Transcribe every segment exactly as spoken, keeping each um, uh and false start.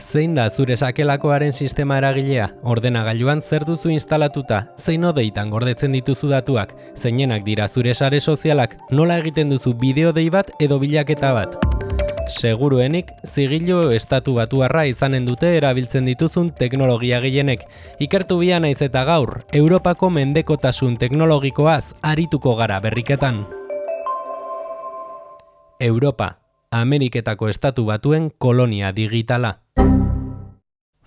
Zein da zure sakelakoaren sistema eragilea? Ordenagailuan zer duzu instalatuta? Zein odeitan gordetzen dituzu datuak? Zeinenak dira zure sare sozialak? Nola egiten duzu bideo dei bat edo bilaketa bat? Seguruenik, zigilu estatu batuarra izanen dute erabiltzen dituzun teknologia gehienek. Ikertu bia naiz eta gaur, Europako mendekotasun teknologikoaz arituko gara berriketan. Europa, Ameriketako estatu batuen kolonia digitala.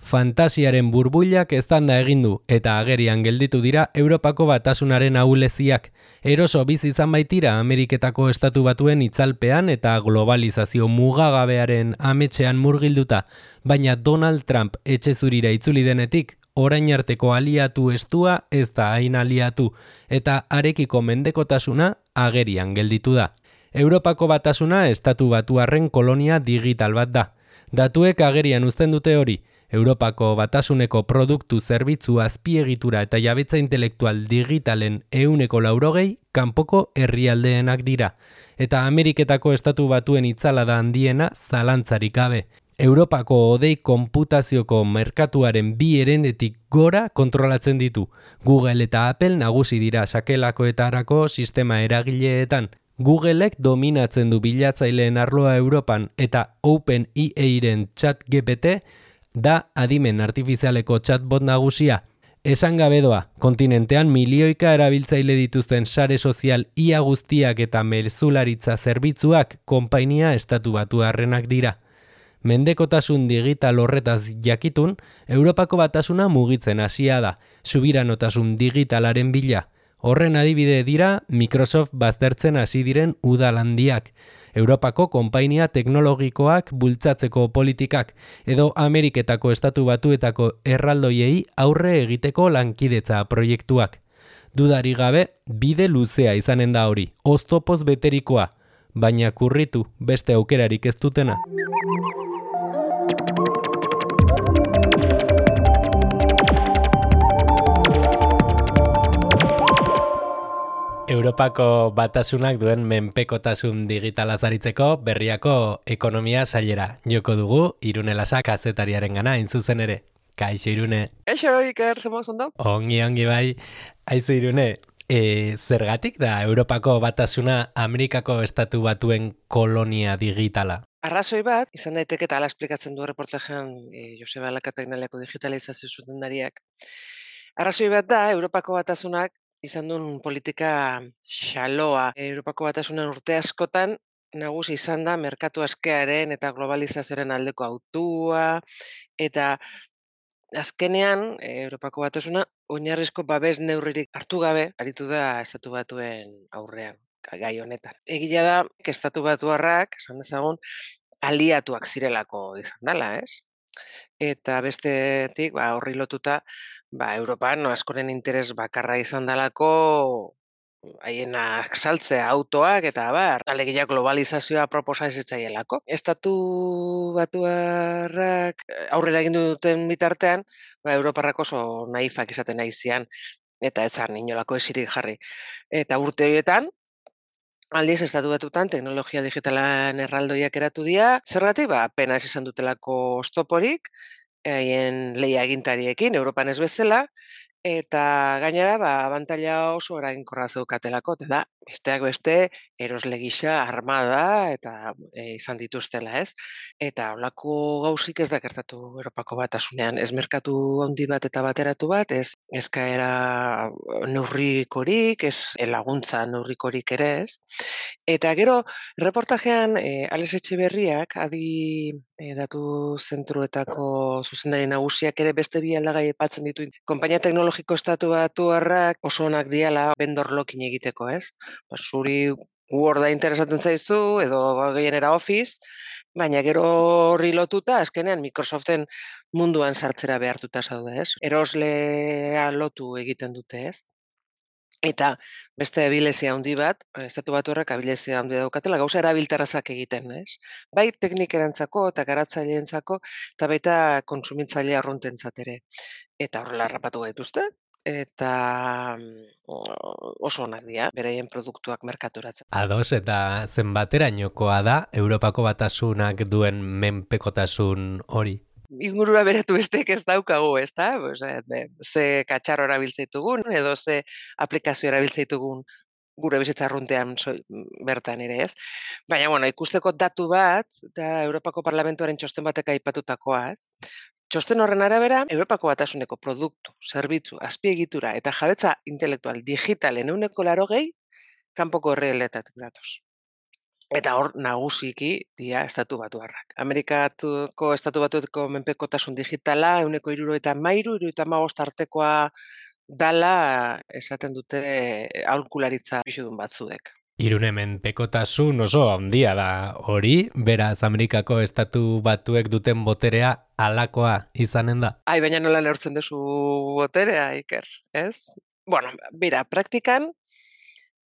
Fantasiaren burbuilak eztanda egin du eta agerian gelditu dira Europako batasunaren ahuleziak. Eroso bizi izan baitira Ameriketako estatu batuen itzalpean eta globalizazio mugagabearen ametsean murgilduta, baina Donald Trump etxe zurira itzuli denetik, orain arteko aliatu estua ez da hain aliatu, eta harekiko mendekotasuna agerian gelditu da. Europako batasuna estatu batuarren kolonia digital bat da. Datuek agerian uzten dute hori. Europako batasuneko produktu zerbitzu azpiegitura eta jabetza intelektual digitalen ehuneko laurogei kanpoko herrialdeenak dira. Eta Ameriketako estatu batuen itzalada handiena zalantzarik gabe. Europako odei konputazioko merkatuaren bi herendetik gora kontrolatzen ditu. Google eta Apple nagusi dira sakelakoetarako sistema eragileetan. Googleek dominatzen du bilatzaileen arloa Europan eta OpenAIren ChatGPT da adimen artifizialeko chatbot nagusia. Esan gabe doa, kontinentean milioika erabiltzaile dituzten sare sozial ia guztiak eta mezularitza zerbitzuak konpainia estatu batuarrenak dira. Mendekotasun digital horretaz jakitun, Europako batasuna mugitzen hasia da, subiranotasun digitalaren bila. Horren adibide dira Microsoft baztertzen hasi diren udal handiak, Europako konpainia teknologikoak bultzatzeko politikak edo Ameriketako estatu batuetako erraldoiei aurre egiteko lankidetza proiektuak. Dudari gabe, bide luzea izanen da hori, oztopoz beterikoa, baina kurritu beste aukerarik ez dutena. Europako batasunak duen menpekotasun digitala zaritzeko berriako ekonomia sailera. Joko dugu, Irune Lasa kazetariaren gana, zuzen ere. Kaixo, Irune. Kaixo, Iker, zemoz ondo? Ongi, ongi bai. Aizu, Irune, e, zergatik da Europako batasuna Amerikako estatu batuen kolonia digitala? Arrazoi bat, izan daiteke eta ala esplikatzen du reportajean e, Joseba Alakategnaliako digitalizazio zuzendariak. Arrazoi bat da, Europako batasunak izan duen politika xaloa. Europako batasunan urte askotan nagusi izan da merkatu askearen eta globalizazioaren aldeko autua, eta azkenean Europako batasuna oinarrizko babes neurririk hartu gabe aritu da estatu batuen aurrean, gai honetan. Egia da, estatu batuarrak, esan dezagun, aliatuak zirelako izan dela, ez? Eta bestetik, ba, horri lotuta, ba, Europan no, askoren interes bakarra izan dalako haienak saltzea autoak eta bar, alegia globalizazioa proposa ezitzaielako. Estatu batuarrak aurrera egin duten bitartean, ba, Europarrak oso naifak izaten naizian eta ez zan inolako esirik jarri. Eta urte horietan, aldiz, estatu batutan teknologia digitalan erraldoiak eratu dira. Zergatik, ba, apenas izan dutelako oztoporik, haien lehia egintariekin, Europan ez bezala, eta gainera, ba, abantaila oso eraginkorra zeukatelako, eta da, besteak beste, erosle gisa armada eta e, izan dituztela, ez? Eta holako gausik ez da gertatu Europako batasunean, ez merkatu handi bat eta bateratu bat, ez eskaera neurrikorik, ez laguntza neurrikorik ere, ez? Eta gero, reportajean, e, Alex Etxeberriak, adi e, datu zentruetako zuzendari nagusiak ere beste bi aldagai aipatzen ditu. Konpainia teknologiko estatu batuarrak oso onak diala vendor locking egiteko, ez? Ba, zuri Worda interesatzen zaizu, edo gehienera Office, baina gero horri lotuta, azkenean Microsoften munduan sartzera behartuta zaude, ez? Eroslea lotu egiten dute, ez? Eta beste abilezia handi bat, estatu batuarrak abilezia handi daukatela, gauza erabilterrazak egiten, ez? Bai teknikerantzako eta garatzaileentzako, eta baita kontsumitzaile arruntentzat ere. Eta horrela harrapatu gaituzte, eta oso onak dira, beraien produktuak merkaturatzen. Ados, eta zenbaterainokoa da Europako batasunak duen menpekotasun hori? ingurura beratu besteek ez daukagu, ez da? Pues, ze katxarro erabiltzeitugun, edo ze aplikazio erabiltzeitugun gure bizitza arruntean bertan ere, ez? Baina, bueno, ikusteko datu bat, da Europako Parlamentuaren txosten batek aipatutakoa, ez? Txosten horren arabera, Europako Batasuneko produktu, zerbitzu, azpiegitura eta jabetza intelektual digitalen ehuneko laurogei kanpoko herrialdeetatik datoz. Eta hor nagusiki dia estatu batuarrak. Amerikatuko estatu batuetako menpekotasun digitala ehuneko hirurogeita hamairu, hirurogeita hamabost artekoa dala esaten dute aholkularitza pixudun batzuek. Irune menpekotasun oso handia da hori, beraz Amerikako estatu batuek duten boterea alakoa izanen da. Ai, baina nola neurtzen duzu boterea, Iker, ez? Bueno, bera, praktikan,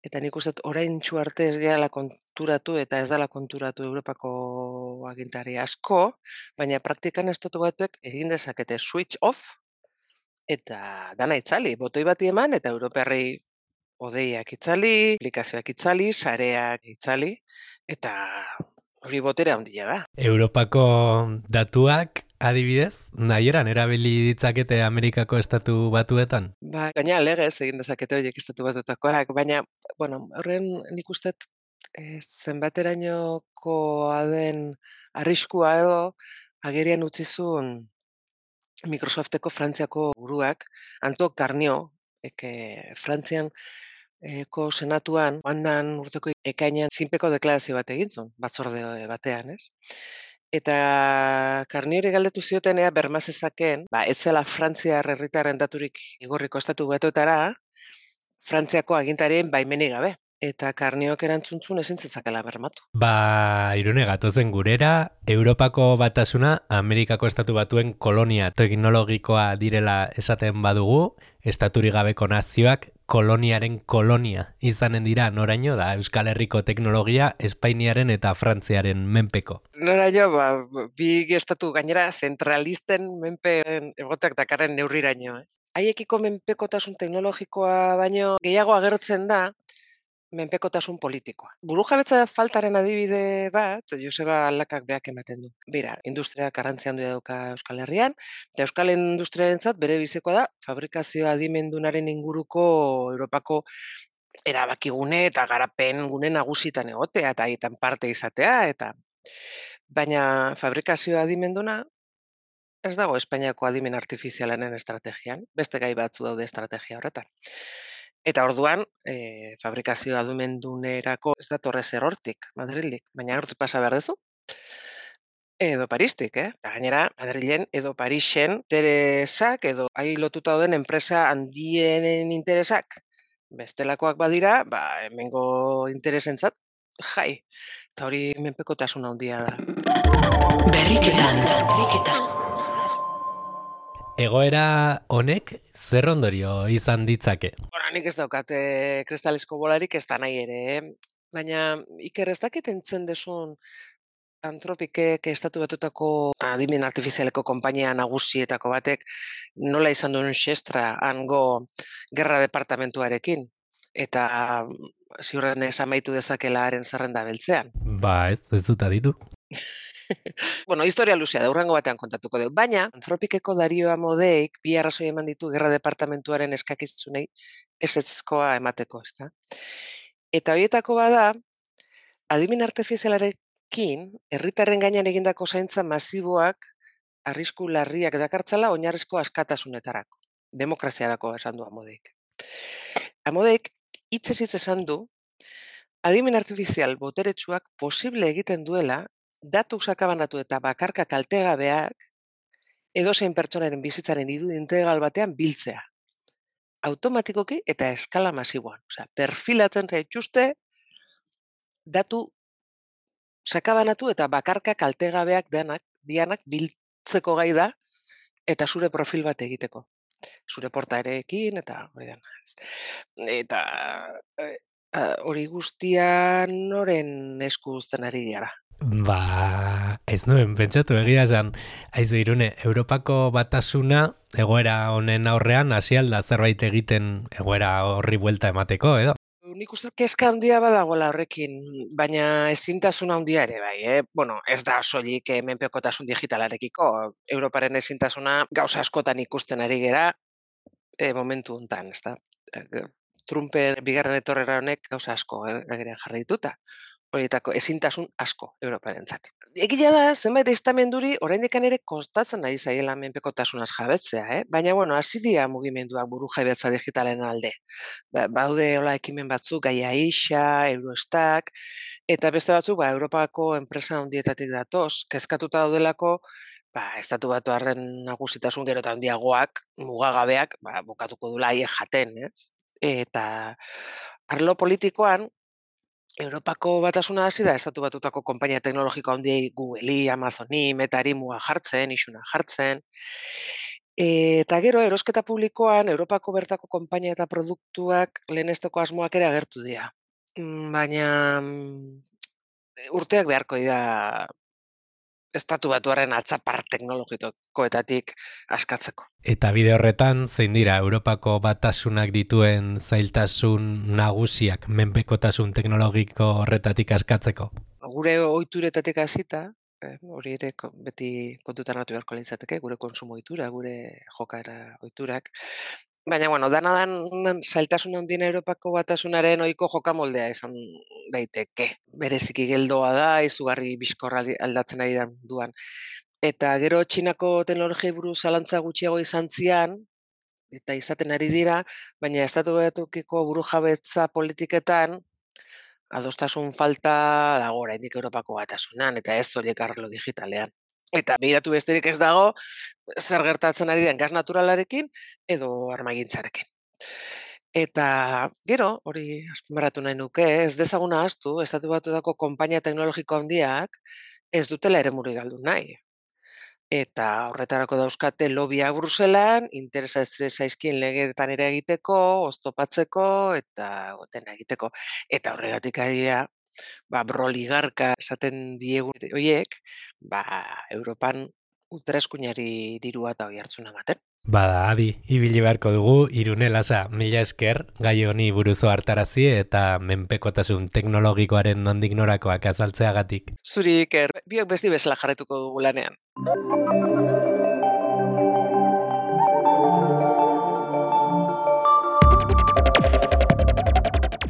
eta nik uste orain txu arte ez gehala konturatu eta ez dala konturatu Europako agintari asko, baina praktikan estatu batuek egin dezakete switch off eta dana itzali, botoi bati eman eta Europarrei odeiak itzali, aplikazioak itzali, sareak itzali, eta hori boterea handia da. Europako datuak adibidez, nahieran erabili ditzakete Amerikako estatu batuetan? Ba, gaina legez egin dezakete horiek estatu batutakoak, baina, bueno, horren nik ustet e, zenbaterainokoa den arriskua edo agerian utzizun Microsofteko Frantziako buruak, Anto Karnio, eke Frantzian eko senatuan, handan urteko ekainean zinpeko deklarazio bat egintzun, batzorde batean, ez? Eta Karniori galdetu zioten ea bermazezakeen, ba, ez zela Frantziar herritarren daturik igorriko estatu batuetara, Frantziako agintarien baimenik gabe. Eta Karniok erantzuntzun ezin zitzakela bermatu. Ba, Irune, gatozen gurera, Europako Batasuna Amerikako estatu batuen kolonia teknologikoa direla esaten badugu, estaturi gabeko nazioak koloniaren kolonia izanen dira noraino da Euskal Herriko teknologia Espainiaren eta Frantziaren menpeko. Noraino, ba, bi estatu gainera zentralisten menpe egoteak dakarren neurriraino, ez? Haiekiko menpekotasun teknologikoa baino gehiago agertzen da menpekotasun politikoa. Burujabetza faltaren adibide bat, Joseba Aldakak beak ematen du. Bera, industria garrantzia handia dauka Euskal Herrian, eta Euskal Industriarentzat bere bizikoa da fabrikazio adimendunaren inguruko Europako erabakigune eta garapen gune nagusitan egotea eta haietan parte izatea, eta baina fabrikazio adimenduna ez dago Espainiako adimen artifizialaren estrategian, beste gai batzu daude estrategia horretan. Eta orduan, e, fabrikazio adumendunerako ez datorre zer hortik, Madrildik, baina hortik pasa behar dezu. Edo Paristik, eh? Eta gainera, Madrilen edo Parisen interesak edo ahi lotuta dauden enpresa handienen interesak bestelakoak badira, ba, hemengo interesentzat, jai. Eta hori menpekotasun handia da. Berriketan, berriketan. Egoera honek zer ondorio izan ditzake? Bueno, nik ez daukate kristalesko bolarik ez da nahi ere, eh? Baina Iker ez dakit entzen desun Antropikek estatu batutako adimen artifizialeko konpainia nagusietako batek nola izan duen xestra hango gerra departamentuarekin. Eta ziurren ez amaitu dezakela haren zerrenda beltzean. Ba, ez, ez dut aditu. Bueno, historia luzea da, urrengo batean kontatuko dugu. Baina, Antropikeko Dario Amodeik bi arrazoi eman ditu gerra departamentuaren eskakizunei esetzkoa emateko, ezta? Eta horietako bada, adimen artifizialarekin, herritarren gainean egindako zaintza masiboak arrisku larriak dakartzala oinarrizko askatasunetarako. Demokraziarako esan du Amodeik. Amodeik hitzez hitz esan du, adimen artifizial boteretsuak posible egiten duela datu sakabanatu eta bakarka kaltegabeak edozein pertsonaren bizitzaren idu integral batean biltzea. Automatikoki eta eskala masiboan. Osea, perfilatzen zaituzte datu sakabanatu eta bakarka kaltegabeak denak, dianak biltzeko gai da eta zure profil bat egiteko. Zure portaerekin eta hori dena. Eta hori guztia noren esku uzten ari diara. Ba, ez nuen, pentsatu egia esan, aizu Irune, Europako Batasuna egoera honen aurrean hasi alda zerbait egiten egoera horri buelta emateko, edo? Nik uste kezka handia badagoela horrekin, baina ezintasun handia ere bai, eh? Bueno, ez da soilik eh, menpekotasun digitalarekiko, Europaren ezintasuna gauza askotan ikusten ari gera eh, momentu hontan, ezta? Eh, Trumpen bigarren etorrera honek gauza asko eh, agerian jarri dituta. Horietako ezintasun asko Europarentzat. Egia da, zenbait estamenduri oraindik ere kostatzen ari zaiela menpekotasunaz jabetzea, eh? Baina bueno, hasi dira mugimenduak burujabetza digitalen alde. Ba, baude hola ekimen batzuk, Gaia Ixa, Eurostak, eta beste batzuk ba Europako enpresa handietatik datoz, kezkatuta daudelako ba estatu batuarren nagusitasun gero eta handiagoak, mugagabeak, ba bukatuko dula haiek jaten, ez? Eta arlo politikoan Europako batasuna hasi da estatu batutako konpainia teknologiko handiei Googleri, Amazoni, Metari muga jartzen, isuna jartzen. Eta gero erosketa publikoan Europako bertako konpainia eta produktuak lehenesteko asmoak ere agertu dira. Baina urteak beharko dira estatu batuaren atzapar teknologikoetatik askatzeko. Eta bide horretan, zein dira Europako batasunak dituen zailtasun nagusiak menpekotasun teknologiko horretatik askatzeko? Gure ohituretatik hasita, eh, hori ere beti kontutan hartu beharko litzateke, gure kontsumo ohitura, gure jokaera ohiturak. Baina, bueno, dana dan zailtasun handiena Europako batasunaren ohiko jokamoldea izan daiteke. Bereziki geldoa da, izugarri bizkorra aldatzen ari da duan. Eta gero Txinako teknologiei buruz zalantza gutxiago izan zian, eta izaten ari dira, baina estatu batukiko burujabetza politiketan adostasun falta dago oraindik Europako batasunan, eta ez horiek arlo digitalean. Eta begiratu besterik ez dago, zer gertatzen ari den gas naturalarekin edo armagintzarekin. Eta gero, hori azpimarratu nahi nuke, ez dezaguna ahaztu, estatu batuetako konpainia teknologiko handiak ez dutela eremuri galdu nahi. Eta horretarako dauzkate lobbiak Bruselan, interesatzen zaizkien legeetan ere egiteko, oztopatzeko eta dena egiteko. Eta horregatik ari da, ba, broligarka esaten diegu horiek, ba, Europan ultraeskuinari dirua eta hori hartzuna ematen. Bada, adi, ibili beharko dugu, Irune Lasa, mila esker, gai honi buruzo hartarazi eta menpekotasun teknologikoaren nondik norakoak azaltzeagatik. Zuri iker, biok besti bezala jarretuko dugu lanean.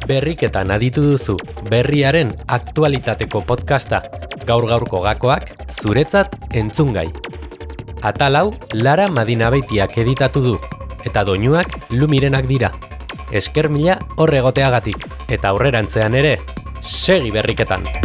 Berriketan aditu duzu, berriaren aktualitateko podcasta, gaur-gaurko gakoak, zuretzat entzungai. Atal hau Lara Madinabeitiak editatu du, eta doinuak Lumirenak dira. Esker mila horregoteagatik, eta aurrerantzean ere, segi berriketan!